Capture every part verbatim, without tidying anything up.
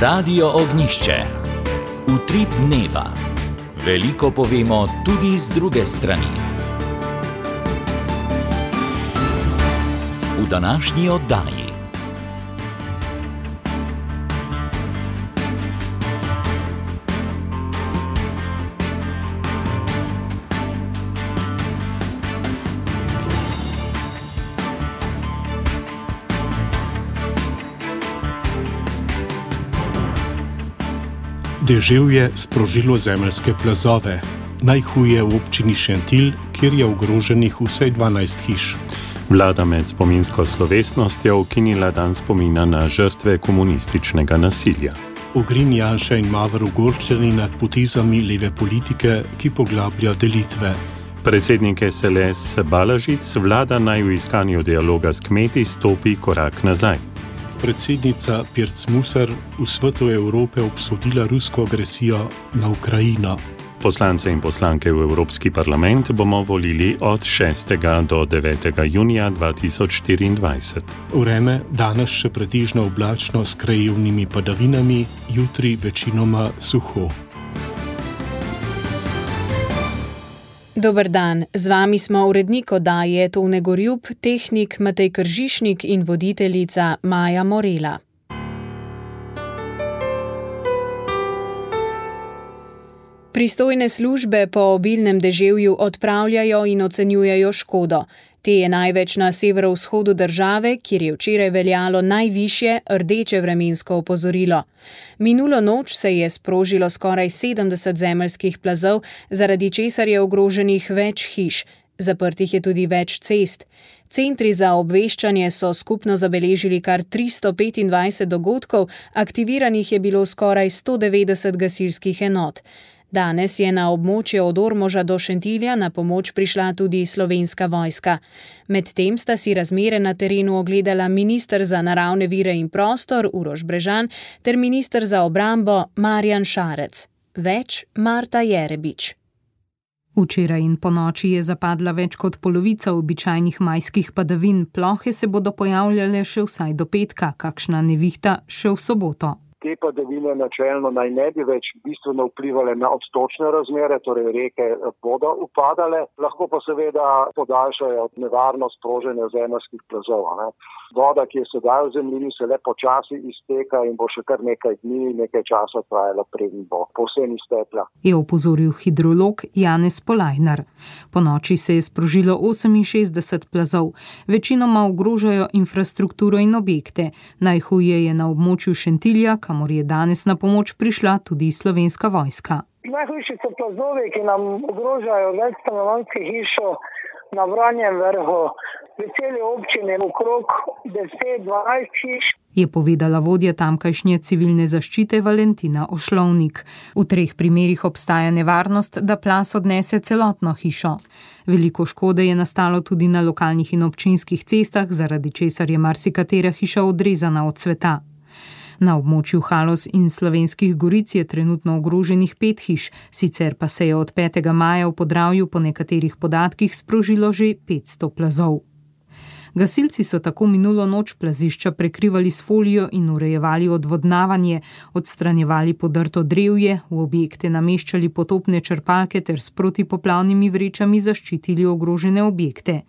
Radio Ognjišče. Utrip dneva. Veliko povemo tudi z druge strani. V današnji oddaji. Deževje je sprožilo zemeljske plazove, najhuje v občini Šentilj, kjer je ogroženih vsaj dvanajst hiš. Vlada med spominsko slovesnostjo ukinila dan spomina na žrtve komunističnega nasilja. Ogrin, Janša in Mavr ogorčeni nad potezami leve politike, ki poglablja delitve. Predsednik S L S Balažic vlada naj v iskanju dialoga s kmeti stopi korak nazaj. Predsednica Pirc Musar v svetu Evrope obsodila rusko agresijo na Ukrajino. Poslance in poslanke v Evropski parlament bomo volili od šestega do devetega junija dva tisoč štiriindvajset. Vreme danes še pretežno oblačno s krajevnimi padavinami, jutri večinoma suho. Dober dan, z vami smo urednik oddaje Tone Gorjup, tehnik Matej Kržišnik in voditeljica Maja Morela. Pristojne službe po obilnem deževju odpravljajo in ocenjujejo škodo. Te je največ na severovzhodu države, kjer je včeraj veljalo najvišje rdeče vremensko opozorilo. Minulo noč se je sprožilo skoraj sedemdeset zemeljskih plazov, zaradi česar je ogroženih več hiš. Zaprtih je tudi več cest. Centri za obveščanje so skupno zabeležili kar tristo petindvajset dogodkov, aktiviranih je bilo skoraj sto devetdeset gasilskih enot. Danes je na območje od Ormoža do Šentilja na pomoč prišla tudi Slovenska vojska. Medtem sta si razmere na terenu ogledala minister za naravne vire in prostor Uroš Brežan ter minister za obrambo Marjan Šarec. Več Marta Jerebič. Včeraj in ponoči je zapadla več kot polovica običajnih majskih padavin, plohe se bodo pojavljale še vsaj do petka, kakšna nevihta še v soboto. Te padavine načelno naj ne bi več bistveno vplivale na odtočne razmere, torej reke bodo upadale, lahko pa seveda podaljšajo nevarnost sproženja zemeljskih plazov. Ne. Voda, ki je sedaj v zemljini, se le počasi izteka in bo še kar nekaj dni, nekaj časa trajala, preden bo povsem iztekla. Je opozoril hidrolog Janez Polajnar. Ponoči se je sprožilo oseminšestdeset plazov, večinoma ogrožajo infrastrukturo in objekte. Najhuje je na območju Šentilja, kamor je danes na pomoč prišla tudi Slovenska vojska. Najhujši so plazovi, ki nam ogrožajo več stanovanjskih hiš na Vranjem vrhu. V celi občini okrog deset dvanajst hiš. Je povedala vodja tamkajšnje civilne zaščite Valentina Ošlovnik. V treh primerih obstaja nevarnost, da plaz odnese celotno hišo. Veliko škode je nastalo tudi na lokalnih in občinskih cestah, zaradi česar je marsikatera hiša odrezana od sveta. Na območju Haloz in Slovenskih Goric je trenutno ogroženih pet hiš, sicer pa se je od petega maja v Podravju po nekaterih podatkih sprožilo že petsto plazov. Gasilci so tako minulo noč plazišča prekrivali s folijo in urejevali odvodnavanje, odstranjevali podrto drevje, v objekte nameščali potopne črpalke ter s protipoplavnimi vrečami zaščitili ogrožene objekte.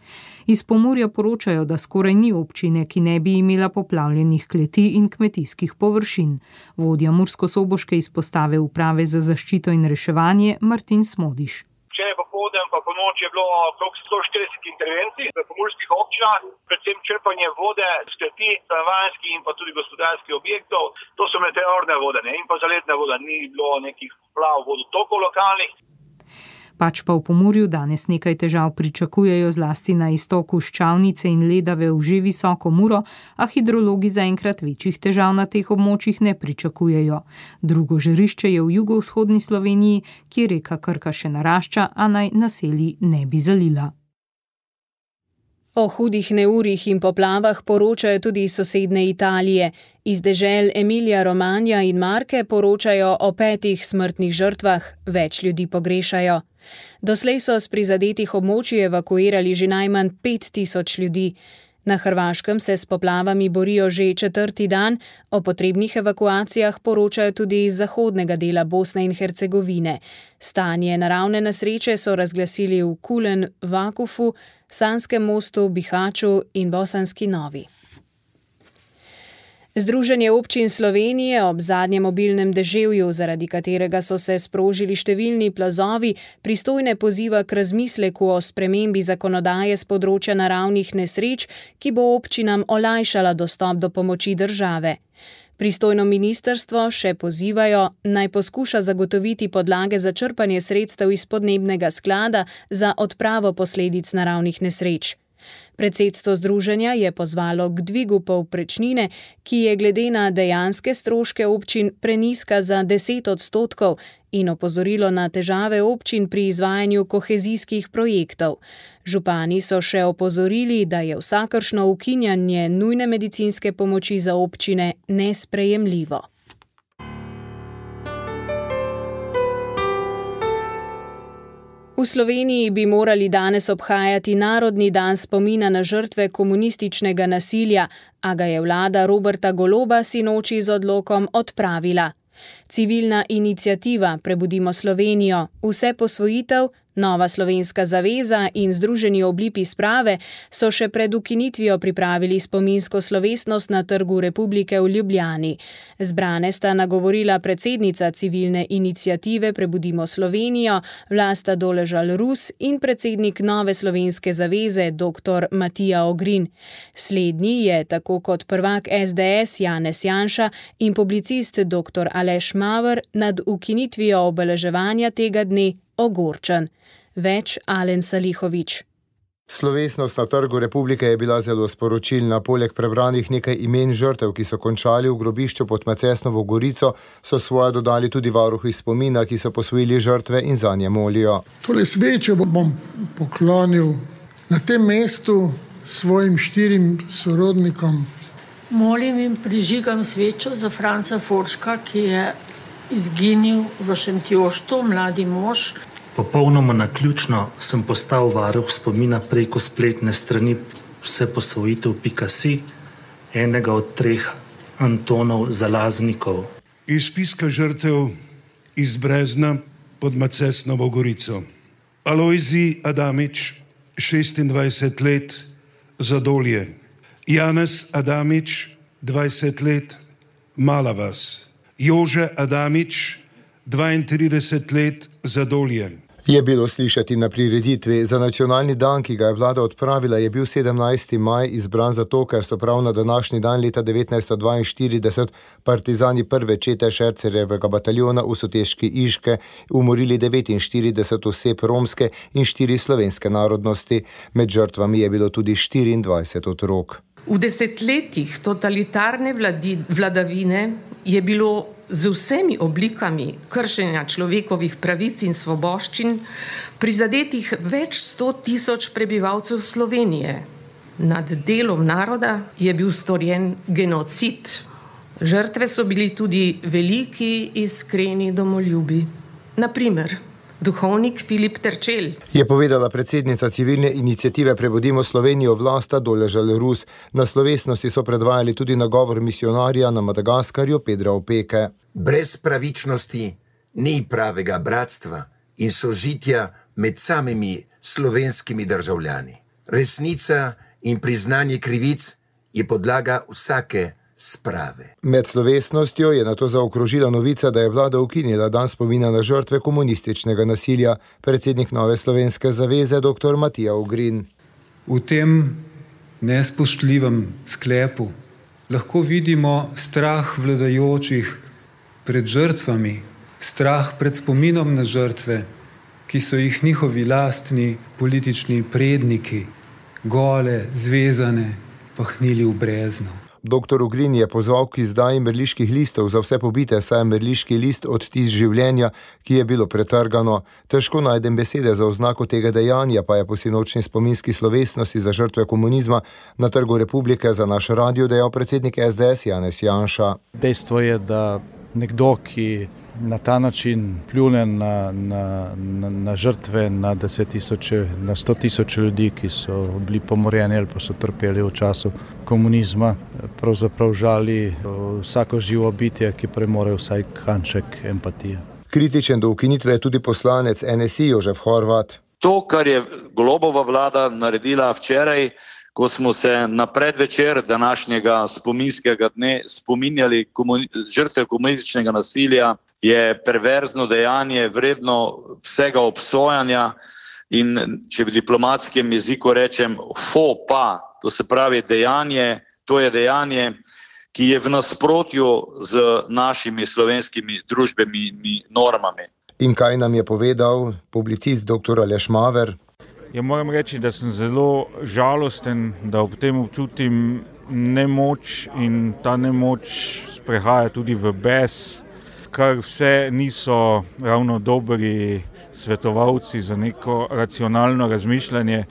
Iz Pomurja poročajo, da skoraj ni občine, ki ne bi imela poplavljenih kleti in kmetijskih površin. Vodja murskosoboške izpostave Uprave za zaščito in reševanje Martin Smodiš. Včeraj popoldan pa po noči je bilo okrog sto štirideset intervencij v pomurskih občinah, predvsem črpanje vode z kleti, stanovanjskih in pa tudi gospodarskih objektov. To so meteorne vode, ne? In pa zaledna voda, ni bilo nekih plav vodotokov lokalnih. Pač pa v Pomurju danes nekaj težav pričakujejo zlasti na istoku Ščavnice in Ledave v že visoko Muro, a hidrologi zaenkrat večjih težav na teh območjih ne pričakujejo. Drugo žarišče je v jugovzhodni Sloveniji, kjer reka Krka še narašča, a naj naselji ne bi zalila. O hudih neurjih in poplavah poročajo tudi iz sosedne Italije. Iz dežel Emilija Romagna in Marke poročajo o petih smrtnih žrtvah, več ljudi pogrešajo. Doslej so s prizadetih območij evakuirali že najmanj pet tisoč ljudi. Na Hrvaškem se s poplavami borijo že četrti dan, o potrebnih evakuacijah poročajo tudi iz zahodnega dela Bosne in Hercegovine. Stanje naravne nesreče so razglasili v Kulen, Vakufu, Sanskem mostu, Bihaću in Bosanski Novi. Združenje občin Slovenije ob zadnjem obilnem deževju, zaradi katerega so se sprožili številni plazovi, pristojne poziva k razmisleku o spremembi zakonodaje s področja naravnih nesreč, ki bo občinam olajšala dostop do pomoči države. Pristojno ministrstvo še pozivajo, naj poskuša zagotoviti podlage za črpanje sredstev iz podnebnega sklada za odpravo posledic naravnih nesreč. Predsedstvo združenja je pozvalo k dvigu povprečnine, ki je glede na dejanske stroške občin prenizka za deset odstotkov in opozorilo na težave občin pri izvajanju kohezijskih projektov. Župani so še opozorili, da je vsakršno ukinjanje nujne medicinske pomoči za občine nesprejemljivo. V Sloveniji bi morali danes obhajati Narodni dan spomina na žrtve komunističnega nasilja, a ga je vlada Roberta Goloba sinoči z odlokom odpravila. Civilna iniciativa Prebudimo Slovenijo, Vse posvojitev, Nova slovenska zaveza in Združeni oblipi sprave so še pred ukinitvijo pripravili spominsko slovesnost na Trgu Republike v Ljubljani. Zbrane sta nagovorila predsednica civilne iniciative Prebudimo Slovenijo, Vlasta Doležal-Rus in predsednik Nove slovenske zaveze dr. Matija Ogrin. Slednji je, tako kot prvak es de es Janez Janša in publicist dr. Aleš Maver, nad ukinitvijo obeleževanja tega dne ogorčen. Več Alen Salihovič. Slovesnost na Trgu Republike je bila zelo sporočilna. Poleg prebranih nekaj imen žrtev, ki so končali v grobišču pod Macesnovo Gorico, so svoje dodali tudi varuhi spomina, ki so posvojili žrtve in zanje molijo. Tole svečo bom poklonil na tem mestu svojim štirim sorodnikom. Molim in prižigam svečo za Franca Forška, ki je izginil v Šentjoštu, mladi mož. Popolnoma naključno sem postal varuh spomina preko spletne strani vseposvojitev pika si, enega od treh Antonov Zalaznikov. Iz spiska žrtev iz Brezna pod Macesnovo Gorico. Alojzij Adamič, šestindvajset let, Zadolje. Janez Adamič, dvajset let, Mala vas. Jože Adamič, dvaintrideset let, Zadolje. Je bilo slišati na prireditvi. Za nacionalni dan, ki ga je vlada odpravila, je bil sedemnajsti maj izbran zato, ker so prav na današnji dan leta devetnajststo dvainštirideset partizani prve čete Šercerjevega bataljona v Soteški Iške umorili devetinštirideset oseb romske in štiri slovenske narodnosti. Med žrtvami je bilo tudi štiriindvajset otrok. V desetletjih totalitarne vladi, vladavine je bilo z vsemi oblikami kršenja človekovih pravic in svoboščin prizadetih več sto tisoč prebivalcev Slovenije. Nad delom naroda je bil storjen genocid. Žrtve so bili tudi veliki, iskreni domoljubi. Na primer, duhovnik Filip Terčelj. Je povedala predsednica civilne iniciative Prebudimo Slovenijo Vlasta Doležal-Rus. Na slovesnosti so predvajali tudi nagovor misionarja na Madagaskarju Pedra Opeke. Brez pravičnosti ni pravega bratstva in sožitja med samimi slovenskimi državljani. Resnica in priznanje krivic je podlaga vsake sprave. Med slovesnostjo je nato zaokrožila novica, da je vlada ukinila dan spomina na žrtve komunističnega nasilja. Predsednik Nove slovenske zaveze dr. Matija Ogrin. V tem nespoštljivem sklepu lahko vidimo strah vladajočih pred žrtvami, strah pred spominom na žrtve, ki so jih njihovi lastni politični predniki, gole, zvezane, pahnili v brezno. Doktor Ogrin je pozval k izdaji mrliških listov za vse pobite, saj je mrliški list odtis življenja, ki je bilo pretrgano. Težko najdem besede za oznako tega dejanja, pa je po sinočni spominski slovesnosti za žrtve komunizma na Trgu Republike za naš radio dejal predsednik es de es Janez Janša. Dejstvo je, da nekdo, ki na ta način pljune na, na, na, na žrtve, na deset tisoče, na sto tisoče ljudi, ki so bili pomorjeni ali pa so trpeli v času komunizma. Pravzaprav žali vsako živo bitje, ki premore vsaj kanček empatije. Kritičen do ukinitve je tudi poslanec N S I Jožef Horvat. To, kar je Golobova vlada naredila včeraj, ko smo se na predvečer današnjega spominskega dne spominjali komuni- žrtve komunističnega nasilja, je perverzno dejanje, vredno vsega obsojanja in, če v diplomatskem jeziku rečem, faux pas, to se pravi dejanje, to je dejanje, ki je v nasprotju z našimi slovenskimi družbenimi normami. In kaj nam je povedal publicist doktor Aleš Maver? Ja, moram reči, da sem zelo žalosten, da ob tem občutim nemoč in ta nemoč sprehaja tudi v bes, kar vse niso ravno dobri svetovalci za neko racionalno razmišljanje,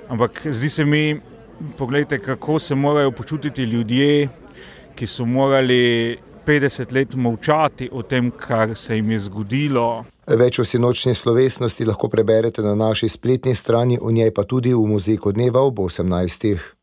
ampak zdi se mi, poglejte, kako se morajo počutiti ljudje, ki so morali petdeset let molčati o tem, kar se jim je zgodilo. Več o sinočni slovesnosti lahko preberete na naši spletni strani, v njej pa tudi v Muzejku dneva ob osemnajstih.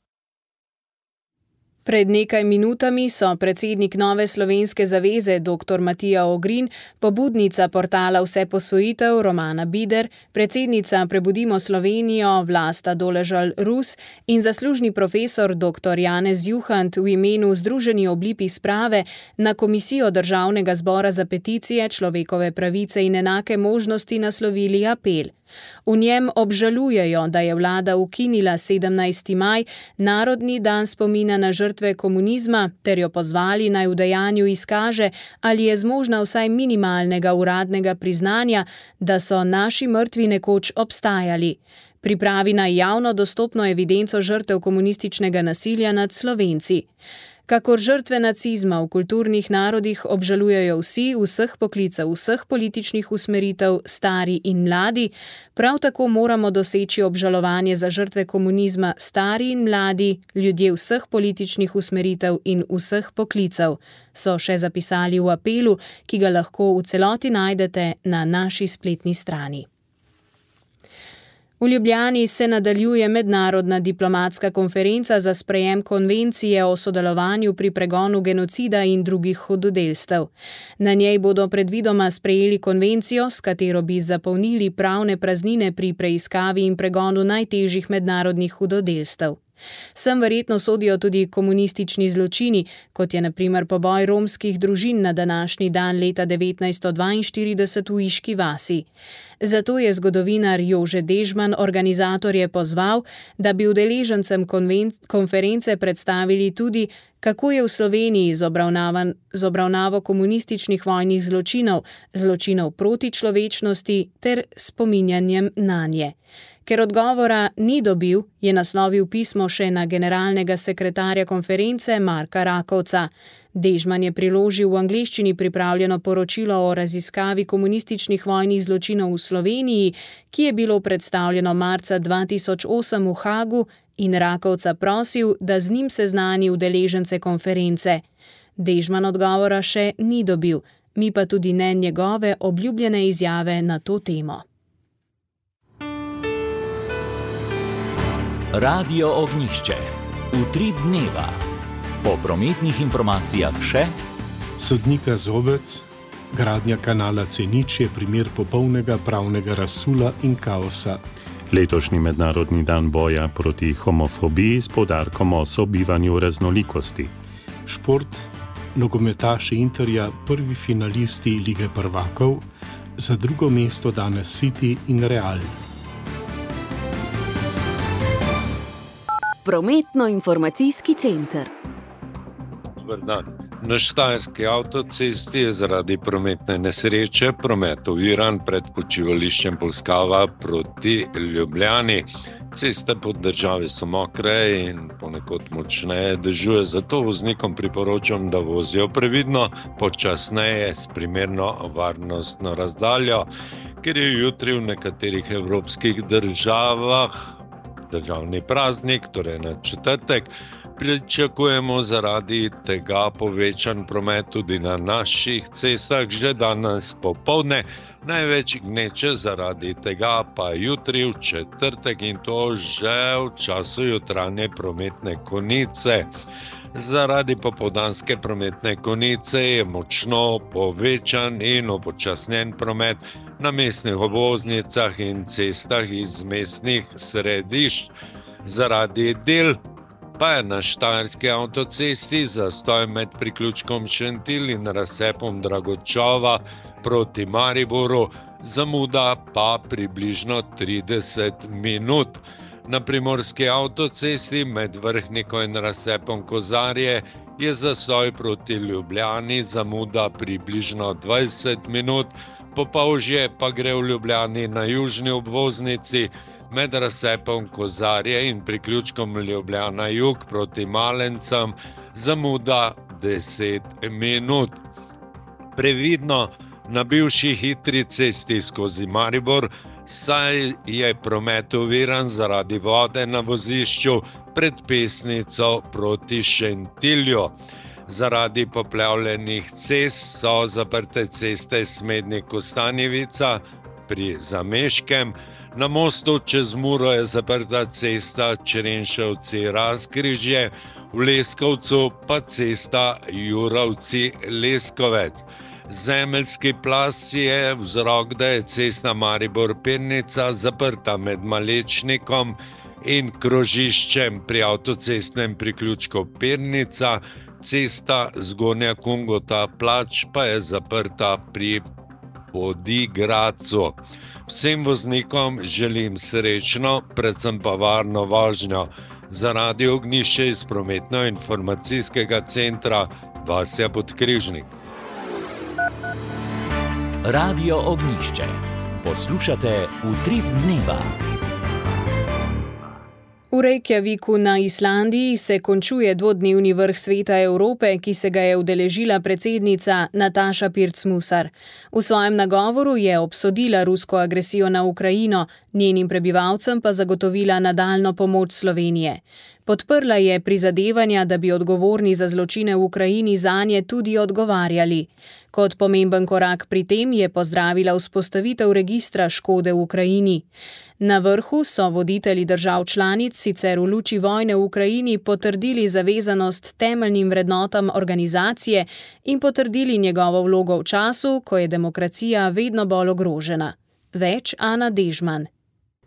Pred nekaj minutami so predsednik Nove slovenske zaveze dr. Matija Ogrin, pobudnica portala Vseposvojitev Romana Bider, predsednica Prebudimo Slovenijo Vlasta Doležal-Rus in zaslužni profesor dr. Janez Juhant v imenu Združeni oblipi sprave na Komisijo Državnega zbora za peticije, človekove pravice in enake možnosti naslovili apel. V njem obžalujejo, da je vlada ukinila sedemnajsti maj, narodni dan spomina na žrtve komunizma, ter jo pozvali naj v dejanju izkaže, ali je zmožna vsaj minimalnega uradnega priznanja, da so naši mrtvi nekoč obstajali. Pripravi naj javno dostopno evidenco žrtev komunističnega nasilja nad Slovenci. Kakor žrtve nacizma v kulturnih narodih obžalujejo vsi, vseh poklicev, vseh političnih usmeritev, stari in mladi, prav tako moramo doseči obžalovanje za žrtve komunizma, stari in mladi, ljudje vseh političnih usmeritev in vseh poklicev, so še zapisali v apelu, ki ga lahko v celoti najdete na naši spletni strani. V Ljubljani se nadaljuje mednarodna diplomatska konferenca za sprejem konvencije o sodelovanju pri pregonu genocida in drugih hudodelstev. Na njej bodo predvidoma sprejeli konvencijo, s katero bi zapolnili pravne praznine pri preiskavi in pregonu najtežjih mednarodnih hudodelstev. Sem verjetno sodijo tudi komunistični zločini, kot je na primer poboj romskih družin na današnji dan leta devetnajststo dvainštirideset v Iški vasi. Zato je zgodovinar Jože Dežman organizatorje pozval, da bi udeležencem konven- konference predstavili tudi, kako je v Sloveniji z, z obravnavo komunističnih vojnih zločinov, zločinov proti človečnosti ter spominjanjem nanje. Ker odgovora ni dobil, je naslovil pismo še na generalnega sekretarja konference Marka Rakovca. Dežman je priložil v angleščini pripravljeno poročilo o raziskavi komunističnih vojnih zločinov v Sloveniji, ki je bilo predstavljeno marca dva tisoč osem v Hagu, in Rakovca prosil, da z njim seznani udeležence konference. Dežman odgovora še ni dobil, mi pa tudi ne njegove obljubljene izjave na to temo. Radio Ognjišče. Utrip dneva. Po prometnih informacijah še sodnika Zobec, gradnja kanala C nič je primer popolnega pravnega razsula in kaosa. Letošnji mednarodni dan boja proti homofobiji s poudarkom o sobivanju raznolikosti. Šport, nogometaši Interja, prvi finalisti Lige prvakov, za drugo mesto danes City in Real. Prometno-informacijski center. Dobar dan. Na Štajerski avtocesti je zaradi prometne nesreče promet oviran pred počivališčem Polskava proti Ljubljani. Ceste po državi so mokre in ponekod močneje dežuje, zato voznikom priporočam, da vozijo previdno, počasneje s primerno varnostno razdaljo, ker je jutri v nekaterih evropskih državah državni praznik, torej na četrtek, Pričakujemo zaradi tega povečan promet tudi na naših cestah že danes popoldne. Največ gneče zaradi tega pa jutri v četrtek in to že v času jutranje prometne konice. Zaradi popoldanske prometne konice je močno povečan in upočasnjen promet na mestnih obvoznicah in cestah iz mestnih središč. Zaradi del pa je na štajerski avtocesti zastoj med priključkom Šentilj in razcepom Dragočova proti Mariboru, zamuda pa približno trideset minut. Na primorski avtocesti med Vrhniko in razcepom Kozarje je zastoj proti Ljubljani, zamuda približno dvajset minut, Popolžje pa gre v Ljubljani na južni obvoznici med razcepom Kozarje in priključkom Ljubljana jug proti Malencem, zamuda deset minut. Previdno na bivši hitri cesti skozi Maribor, saj je promet oviran zaradi vode na vozišču pred Pesnico proti Šentilju. Zaradi poplavljenih cest so zaprte ceste Smednik-Kostanjevica pri Zameškem, na mostu čez Muro je zaprta cesta Črenšovci-Razkrižje, v Leskovcu pa cesta Jurovci-Leskovec. Zemeljski plaz je vzrok, da je cesta Maribor-Pirnica zaprta med Malečnikom in krožiščem pri avtocestnem priključku Pirnica, cesta Zgornja Kungota-Plač pa je zaprta pri Podigradcu. Vsem voznikom želim srečno, predvsem pa varno vožnjo. Za Radio Ognjišče iz prometno-informacijskega centra Vasja Podkrižnik. Radio Ognjišče. Poslušate Utrip dneva. V Reykjaviku na Islandiji se končuje dvodnevni vrh Sveta Evrope, ki se ga je udeležila predsednica Nataša Pirc Musar. V svojem nagovoru je obsodila rusko agresijo na Ukrajino, njenim prebivalcem pa zagotovila nadaljno pomoč Slovenije. Podprla je prizadevanja, da bi odgovorni za zločine v Ukrajini zanje tudi odgovarjali. Kot pomemben korak pri tem je pozdravila vzpostavitev registra škode v Ukrajini. Na vrhu so voditelji držav članic sicer v luči vojne v Ukrajini potrdili zavezanost temeljnim vrednotam organizacije in potrdili njegovo vlogo v času, ko je demokracija vedno bolj ogrožena. Več Ana Dežman.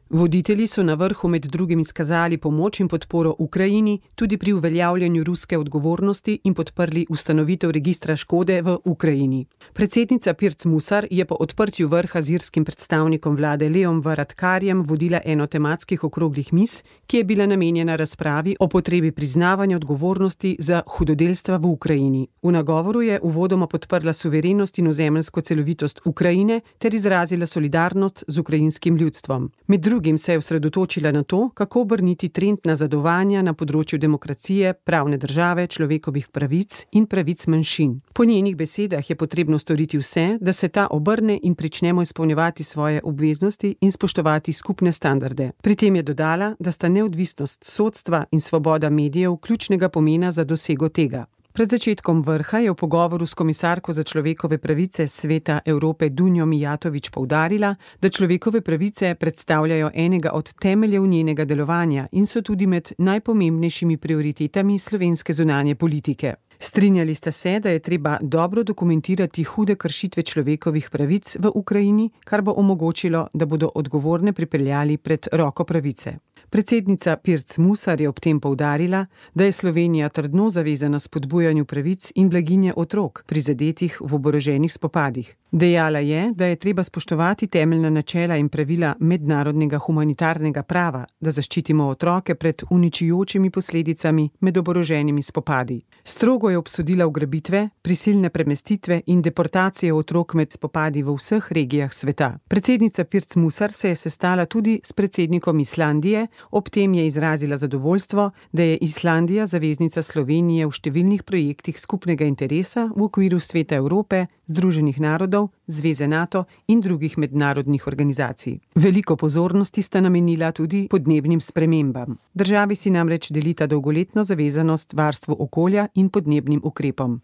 Voditelji so na vrhu med drugim izkazali pomoč in podporo Ukrajini tudi pri uveljavljanju ruske odgovornosti in podprli ustanovitev registra škode v Ukrajini. Predsednica Pirc Musar je po odprtju vrha z irskim predstavnikom vlade Leom Varadkarjem vodila eno tematskih okroglih miz, ki je bila namenjena razpravi o potrebi priznavanja odgovornosti za hudodelstva v Ukrajini. V nagovoru je uvodoma podprla suverenost in ozemeljsko celovitost Ukrajine ter izrazila solidarnost z ukrajinskim ljudstvom. Med drugim se je osredotočila na to, kako obrniti trend nazadovanja na področju demokracije, pravne države, človekovih pravic in pravic manjšin. Po njenih besedah je potrebno storiti vse, da se ta obrne in pričnemo izpolnjevati svoje obveznosti in spoštovati skupne standarde. Pri tem je dodala, da sta neodvisnost sodstva in svoboda medijev ključnega pomena za dosego tega. Pred začetkom vrha je v pogovoru s komisarko za človekove pravice Sveta Evrope Dunjo Mijatović poudarila, da človekove pravice predstavljajo enega od temeljev njenega delovanja in so tudi med najpomembnejšimi prioritetami slovenske zunanje politike. Strinjali sta se, da je treba dobro dokumentirati hude kršitve človekovih pravic v Ukrajini, kar bo omogočilo, da bodo odgovorne pripeljali pred roko pravice. Predsednica Pirc Musar je ob tem poudarila, da je Slovenija trdno zavezana spodbujanju pravic in blaginje otrok, prizadetih v oboroženih spopadih. Dejala je, da je treba spoštovati temeljna načela in pravila mednarodnega humanitarnega prava, da zaščitimo otroke pred uničujočimi posledicami med oboroženimi spopadi. Strogo je obsodila ugrabitve, prisilne premestitve in deportacije otrok med spopadi v vseh regijah sveta. Predsednica Pirc Musar se je sestala tudi s predsednikom Islandije, ob tem je izrazila zadovoljstvo, da je Islandija zaveznica Slovenije v številnih projektih skupnega interesa v okviru Sveta Evrope, Združenih narodov narodov, Zveze NATO in drugih mednarodnih organizacij. Veliko pozornosti sta namenila tudi podnebnim spremembam. Državi si namreč delita dolgoletno zavezanost varstvu okolja in podnebnim ukrepom.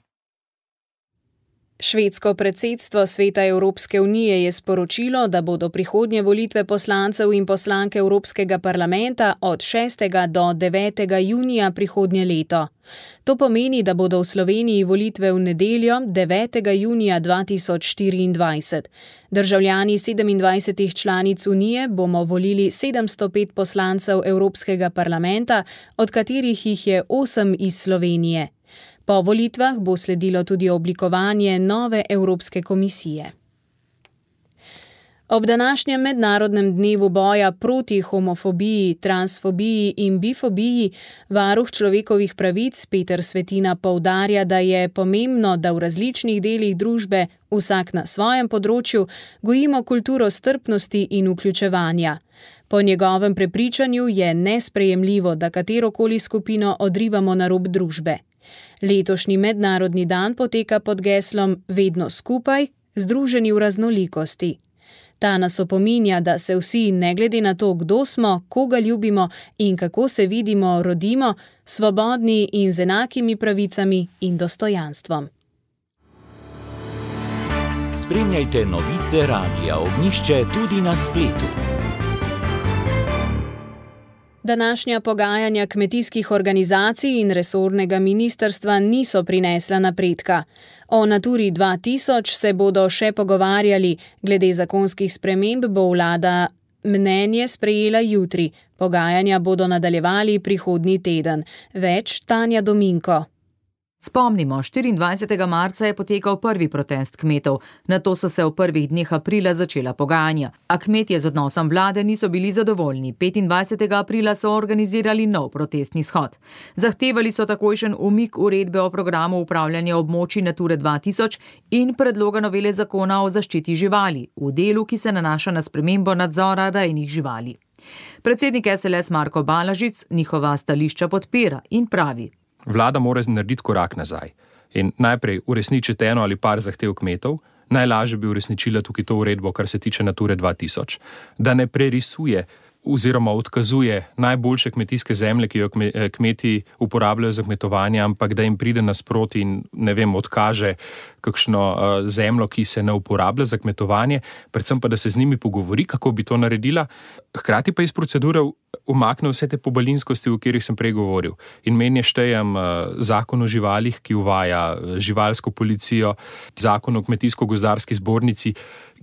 Švedsko predsedstvo Sveta Evropske unije je sporočilo, da bodo prihodnje volitve poslancev in poslanke Evropskega parlamenta od šestega do devetega junija prihodnje leto. To pomeni, da bodo v Sloveniji volitve v nedeljo devetega junija dva tisoč štiriindvajset. Državljani sedemindvajsetih članic unije bomo volili sedemsto pet poslancev Evropskega parlamenta, od katerih jih je osem iz Slovenije. Po volitvah bo sledilo tudi oblikovanje nove Evropske komisije. Ob današnjem mednarodnem dnevu boja proti homofobiji, transfobiji in bifobiji varuh človekovih pravic Peter Svetina poudarja, da je pomembno, da v različnih delih družbe, vsak na svojem področju, gojimo kulturo strpnosti in vključevanja. Po njegovem prepričanju je nesprejemljivo, da katerokoli skupino odrivamo na rob družbe. Letošnji mednarodni dan poteka pod geslom Vedno skupaj, združeni v raznolikosti. Ta nas opominja, da se vsi, ne glede na to, kdo smo, koga ljubimo in kako se vidimo, rodimo, svobodni in z enakimi pravicami in dostojanstvom. Spremljajte novice Radia Ognjišče tudi na spletu. Današnja pogajanja kmetijskih organizacij in resornega ministrstva niso prinesla napredka. O Naturi dva tisoč se bodo še pogovarjali, glede zakonskih sprememb bo vlada mnenje sprejela jutri. Pogajanja bodo nadaljevali prihodnji teden. Več Tanja Dominko. Spomnimo, štiriindvajsetega marca je potekal prvi protest kmetov, nato so se v prvih dneh aprila začela pogajanja. A kmetje z odnosom vlade niso bili zadovoljni. petindvajsetega aprila so organizirali nov protestni shod. Zahtevali so takojšen umik uredbe o programu upravljanja območij Nature dva tisoč in predloga novele zakona o zaščiti živali, v delu, ki se nanaša na spremembo nadzora rejnih živali. Predsednik S L S Marko Balažic njihova stališča podpira in pravi: Vlada mora narediti korak nazaj in najprej uresničiti eno ali par zahtev kmetov, najlažje bi uresničila tukaj to uredbo, kar se tiče Nature dva tisoč, da ne prerisuje oziroma odkazuje najboljše kmetijske zemlje, ki jo kmeti uporabljajo za kmetovanje, ampak da jim pride nasproti in, ne vem, odkaže kakšno uh, zemljo, ki se ne uporablja za kmetovanje, predvsem pa, da se z njimi pogovori, kako bi to naredila, hkrati pa iz procedure umakne vse te pobalinskosti, o katerih sem prej govoril. In meni štejem uh, zakon o živalih, ki uvaja živalsko policijo, zakon o kmetijsko-gozdarski zbornici,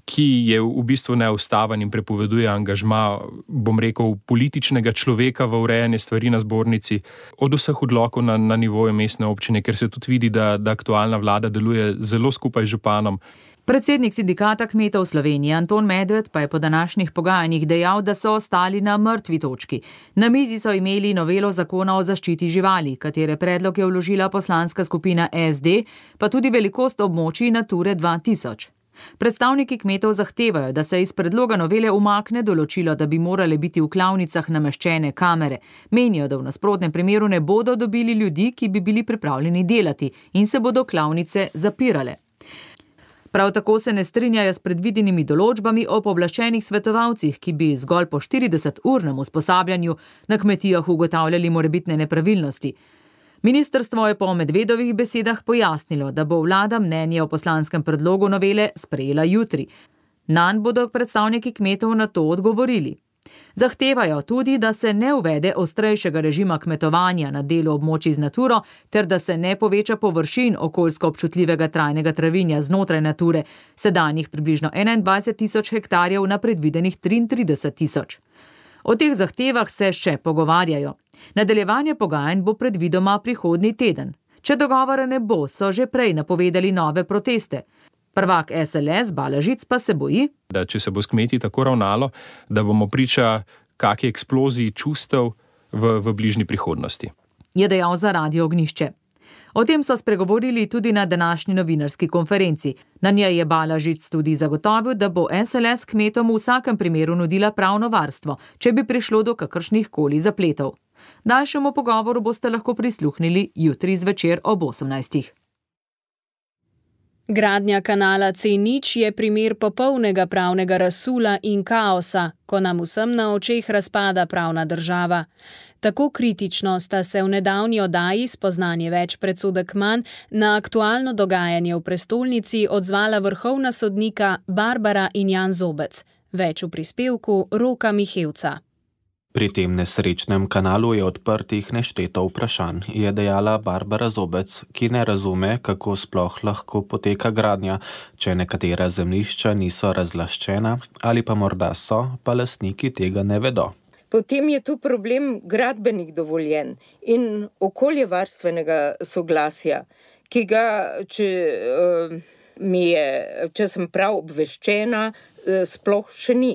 ki je v bistvu neustaven in prepoveduje angažma, bom rekel, političnega človeka v urejanje stvari na zbornici, od vseh odlokov na, na nivoju mestne občine, ker se tudi vidi, da, da aktualna vlada deluje zelo skupaj z županom. Predsednik sindikata kmetov Slovenije Anton Medved pa je po današnjih pogajanjih dejal, da so ostali na mrtvi točki. Na mizi so imeli novelo zakona o zaščiti živali, katere predlog je vložila poslanska skupina S D, pa tudi velikost območij Nature dva tisoč. Predstavniki kmetov zahtevajo, da se iz predloga novele umakne določilo, da bi morale biti v klavnicah nameščene kamere. Menijo, da v nasprotnem primeru ne bodo dobili ljudi, ki bi bili pripravljeni delati in se bodo klavnice zapirale. Prav tako se ne strinjajo s predvidenimi določbami o pooblaščenih svetovalcih, ki bi zgolj po štirideseturnem usposabljanju na kmetijah ugotavljali morebitne nepravilnosti. Ministrstvo je po Medvedovih besedah pojasnilo, da bo vlada mnenje o poslanskem predlogu novele sprejela jutri. Nanj bodo predstavniki kmetov na to odgovorili. Zahtevajo tudi, da se ne uvede ostrejšega režima kmetovanja na delu območij z naturo, ter da se ne poveča površin okoljsko občutljivega trajnega travinja znotraj nature, sedanjih približno enaindvajset tisoč hektarjev na predvidenih triintrideset tisoč. O teh zahtevah se še pogovarjajo. Nadaljevanje pogajanj bo predvidoma prihodnji teden. Če dogovora ne bo, so že prej napovedali nove proteste. Prvak S L S Balažic pa se boji, da če se bo s kmeti tako ravnalo, da bomo priča kakšni eksploziji čustev v, v bližnji prihodnosti. Je dejal za Radio Ognjišče. O tem so spregovorili tudi na današnji novinarski konferenci. Na njej je Balažic tudi zagotovil, da bo S L S kmetom v vsakem primeru nudila pravno varstvo, če bi prišlo do kakršnih koli zapletov. Daljšemu pogovoru boste lahko prisluhnili jutri zvečer ob osemnajstih. Gradnja kanala C nič je primer popolnega pravnega razsula in kaosa, ko nam vsem na očeh razpada pravna država. Tako kritično sta se v nedavni oddaji Spoznanje več predsodek manj na aktualno dogajanje v prestolnici odzvala vrhovna sodnika Barbara in Jan Zobec. Več v prispevku Roka Mihevca. Pri tem nesrečnem kanalu je odprtih nešteto vprašanj, je dejala Barbara Zobec, ki ne razume, kako sploh lahko poteka gradnja, če nekatera zemljišča niso razlaščena ali pa morda so, pa lastniki tega ne vedo. Potem je tu problem gradbenih dovoljenj in okoljevarstvenega soglasja, ki ga, če, uh, mi je, če sem prav obveščena, uh, sploh še ni.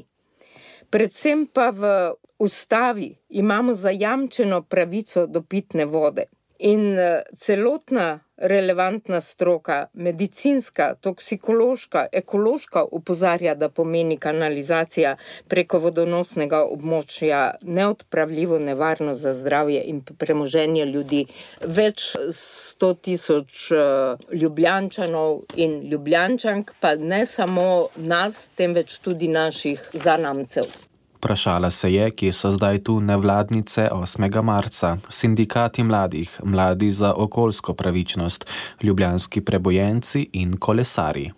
Predvsem pa v ustavi imamo zajamčeno pravico do pitne vode in celotna relevantna stroka, medicinska, toksikološka, ekološka opozarja, da pomeni kanalizacija preko vodonosnega območja neodpravljivo nevarnost za zdravje in premoženje ljudi. Več sto tisoč Ljubljančanov in Ljubljančank, pa ne samo nas, temveč tudi naših zanamcev. Vprašala se je, kje so zdaj tu nevladnice osmega marca, sindikati mladih, mladi za okoljsko pravičnost, ljubljanski prebojenci in kolesarji.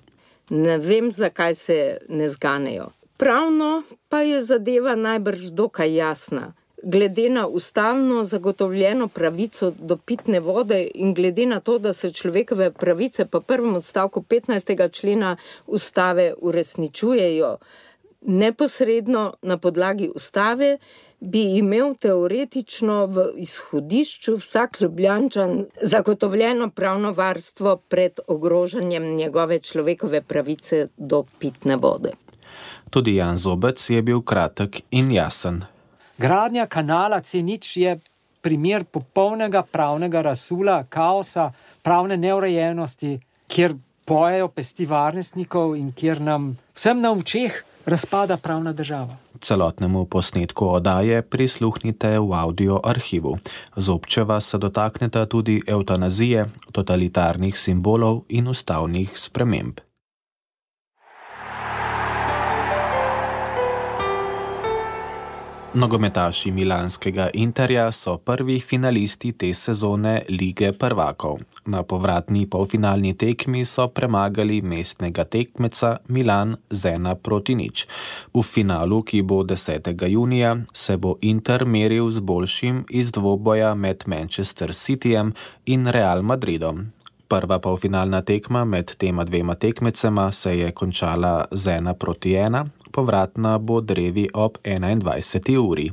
Ne vem, zakaj se ne zganejo. Pravno pa je zadeva najbrž dokaj jasna. Glede na ustavno zagotovljeno pravico do pitne vode in glede na to, da se človekove pravice po prvem odstavku petnajstega člena ustave uresničujejo, neposredno na podlagi ustave, bi imel teoretično v izhodišču vsak Ljubljančan zagotovljeno pravno varstvo pred ogrožanjem njegove človekove pravice do pitne vode. Tudi Jan Zobec je bil kratek in jasen. Gradnja kanala C nič je primer popolnega pravnega razsula, kaosa, pravne neurejenosti, kjer pojejo pesti varnostnikov in kjer nam vsem na očeh razpada pravna država. Celotnemu posnetku oddaje prisluhnite v audio arhivu. Zobčeva se dotakneta tudi evtanazije, totalitarnih simbolov in ustavnih sprememb. Nogometaši milanskega Interja so prvi finalisti te sezone Lige prvakov. Na povratni polfinalni tekmi so premagali mestnega tekmeca Milan z ena proti nič. V finalu, ki bo desetega junija, se bo Inter meril z boljšim iz dvoboja med Manchester Cityjem in Real Madridom. Prva polfinalna tekma med tema dvema tekmecema se je končala z ena proti ena, povratna bo drevi ob enaindvajseti uri.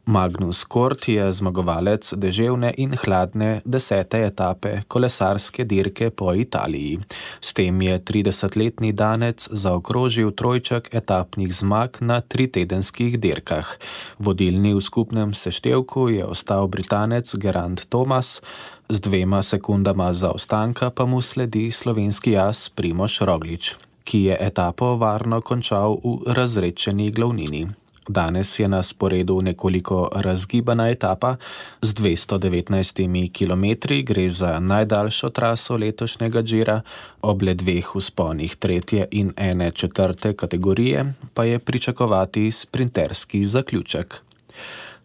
Magnus Kort je zmagovalec deževne in hladne desete etape kolesarske dirke po Italiji. S tem je tridesetletni Danec zaokrožil trojček etapnih zmag na tritedenskih dirkah. Vodilni v skupnem seštevku je ostal Britanec Geraint Thomas, z dvema sekundama zaostanka pa mu sledi slovenski as Primož Roglič, ki je etapo varno končal v razredčeni glavnini. Danes je na sporedu nekoliko razgibana etapa z dvesto devetnajstimi kilometri, gre za najdaljšo traso letošnjega Gira, ob le dveh vzponih tretje in ene četrte kategorije pa je pričakovati sprinterski zaključek.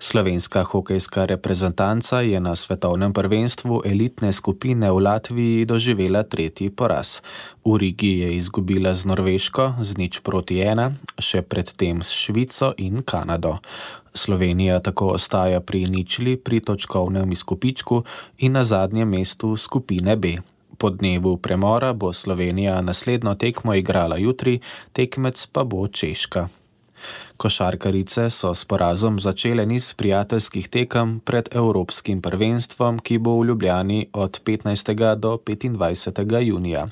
Slovenska hokejska reprezentanca je na svetovnem prvenstvu elitne skupine v Latviji doživela tretji poraz. V Rigi je izgubila z Norveško z nič proti ena, še predtem s Švico in Kanado. Slovenija tako ostaja pri ničli pri točkovnem izkupičku in na zadnjem mestu skupine B. Po dnevu premora bo Slovenija naslednjo tekmo igrala jutri, tekmec pa bo Češka. Košarkarice so s porazom začele niz prijateljskih tekem pred Evropskim prvenstvom, ki bo v Ljubljani od petnajstega do petindvajsetega junija.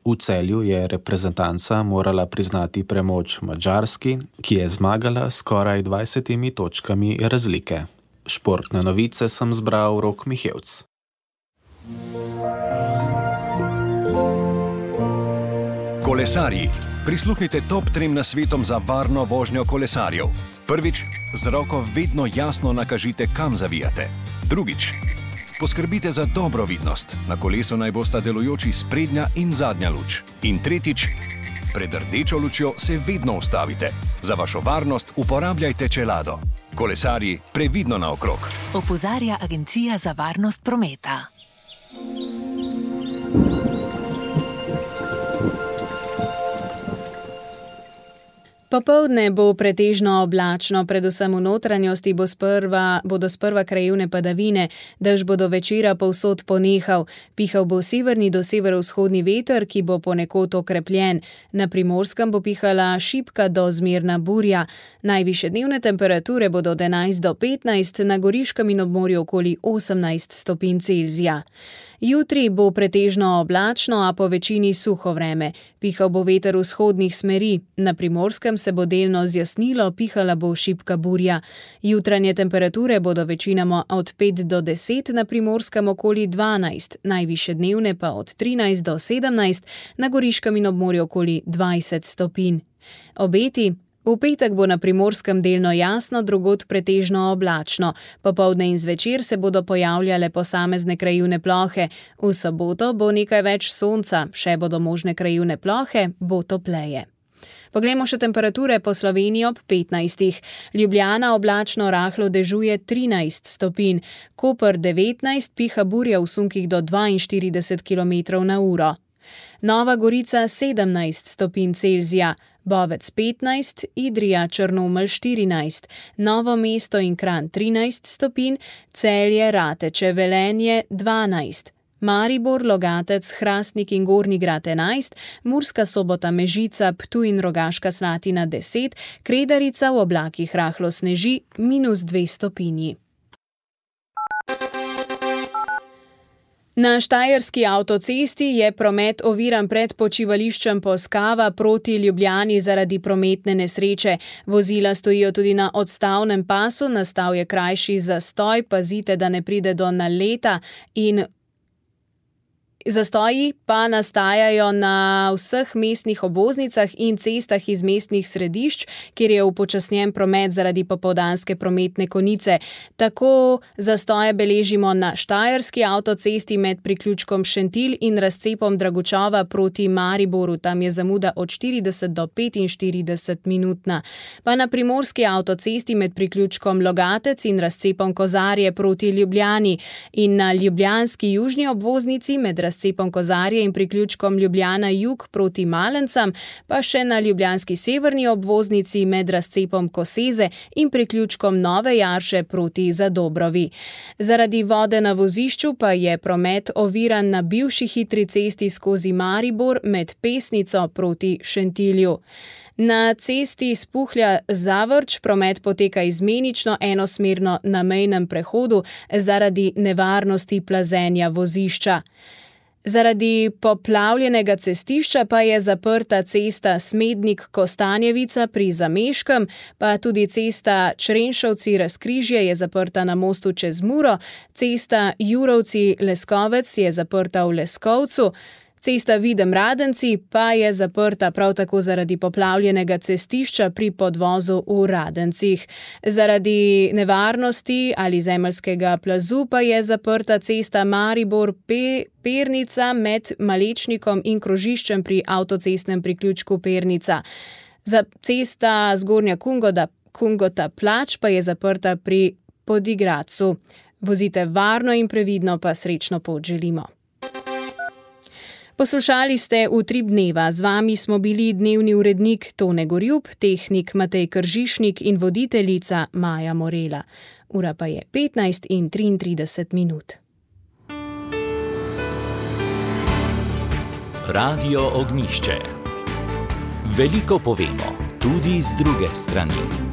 V Celju je reprezentanca morala priznati premoč Madžarski, ki je zmagala skoraj dvajsetimi točkami razlike. Športne novice sem zbral Rok Mihevc. Kolesarji. Prisluhnite top trem nasvetom za varno vožnjo kolesarjev. Prvič, z roko vedno jasno nakažite, kam zavijate. Drugič, Poskrbite za dobro vidnost. Na kolesu naj bosta delujoči sprednja in zadnja luč. In tretjič, pred rdečo lučjo se vedno ustavite. Za vašo varnost uporabljajte čelado. Kolesarji, previdno naokrog. Opozarja Agencija za varnost prometa. Popoldne bo pretežno oblačno, predvsem v notranjosti bo sprva, bodo sprva krajevne padavine, dež bo do večera povsod ponehal. Pihal bo severni do severovzhodni veter, ki bo ponekod okrepljen. Na Primorskem bo pihala šibka do zmerna burja. Najvišje dnevne temperature bodo od enajst do petnajst, na Goriškem in ob morju okoli osemnajst stopinj Celzija. Jutri bo pretežno oblačno, a po večini suho vreme. Pihal bo veter vzhodnih smeri. Na Primorskem se bo delno zjasnilo, pihala bo šibka burja. Jutranje temperature bodo večinoma od pet do deset, na Primorskem okoli dvanajst, najvišje dnevne pa od trinajst do sedemnajst, na Goriškem in ob morju okoli dvajset stopinj. Obeti. V petek bo na Primorskem delno jasno, drugod pretežno oblačno. Popoldne in zvečer se bodo pojavljale posamezne krajevne plohe. V soboto bo nekaj več sonca, še bodo možne krajevne plohe, bo topleje. Poglejmo še temperature po Sloveniji ob petnajstih. Ljubljana oblačno rahlo dežuje trinajst stopinj, Koper devetnajst, piha burja v sunkih do dvainštirideset kilometrov na uro. Nova Gorica sedemnajst stopinj Celzija, Bovec petnajst, Idrija, Črnomelj štirinajst, Novo mesto in Kranj trinajst stopinj, Celje, Rateče, Velenje dvanajst, Maribor, Logatec, Hrastnik in Gornji Grad enajst, Murska Sobota, Mežica, Ptuj in Rogaška Slatina deset, Kredarica v oblakih rahlo sneži minus dve stopinji. Na štajerski avtocesti je promet oviran pred počivališčem Poskava proti Ljubljani zaradi prometne nesreče. Vozila stojijo tudi na odstavnem pasu, nastal je krajši zastoj, pazite, da ne pride do naleta in zastoji pa nastajajo na vseh mestnih obvoznicah in cestah iz mestnih središč, kjer je upočasnjen promet zaradi popoldanske prometne konice. Tako zastoje beležimo na štajerski avtocesti med priključkom Šentilj in razcepom Dragučova proti Mariboru, tam je zamuda od štirideset do petinštirideset minutna. Pa na primorski avtocesti med priključkom Logatec in razcepom Kozarje proti Ljubljani in na ljubljanski južni obvoznici med razcepom Kozarje in priključkom Ljubljana jug proti Malencam, pa še na ljubljanski severni obvoznici med razcepom Koseze in priključkom Nove Jarše proti Zadobrovi. Zaradi vode na vozišču pa je promet oviran na bivši hitri cesti skozi Maribor med Pesnico proti Šentilju. Na cesti Spuhlja-Zavrč promet poteka izmenično enosmerno na mejnem prehodu zaradi nevarnosti plazenja vozišča. Zaradi poplavljenega cestišča pa je zaprta cesta Smednik-Kostanjevica pri Zameškem, pa tudi cesta Črenšovci-Razkrižje je zaprta na mostu čez Muro, cesta Jurovci-Leskovec je zaprta v Leskovcu, cesta Videm-Radenci pa je zaprta prav tako zaradi poplavljenega cestišča pri podvozu v Radencih. Zaradi nevarnosti ali zemeljskega plazu pa je zaprta cesta Maribor-Pernica med Malečnikom in krožiščem pri avtocestnem priključku Pernica. Za cesta Zgornja Kungota, Kungota Plač pa je zaprta pri Podigradcu. Vozite varno in previdno, pa srečno pot želimo. Poslušali ste Utrip dneva, z vami smo bili dnevni urednik Tone Gorjup, tehnik Matej Kržišnik in voditeljica Maja Morela. Ura pa je petnajst in triintrideset minut. Radio Ognjišče. Veliko povemo, tudi z druge strani.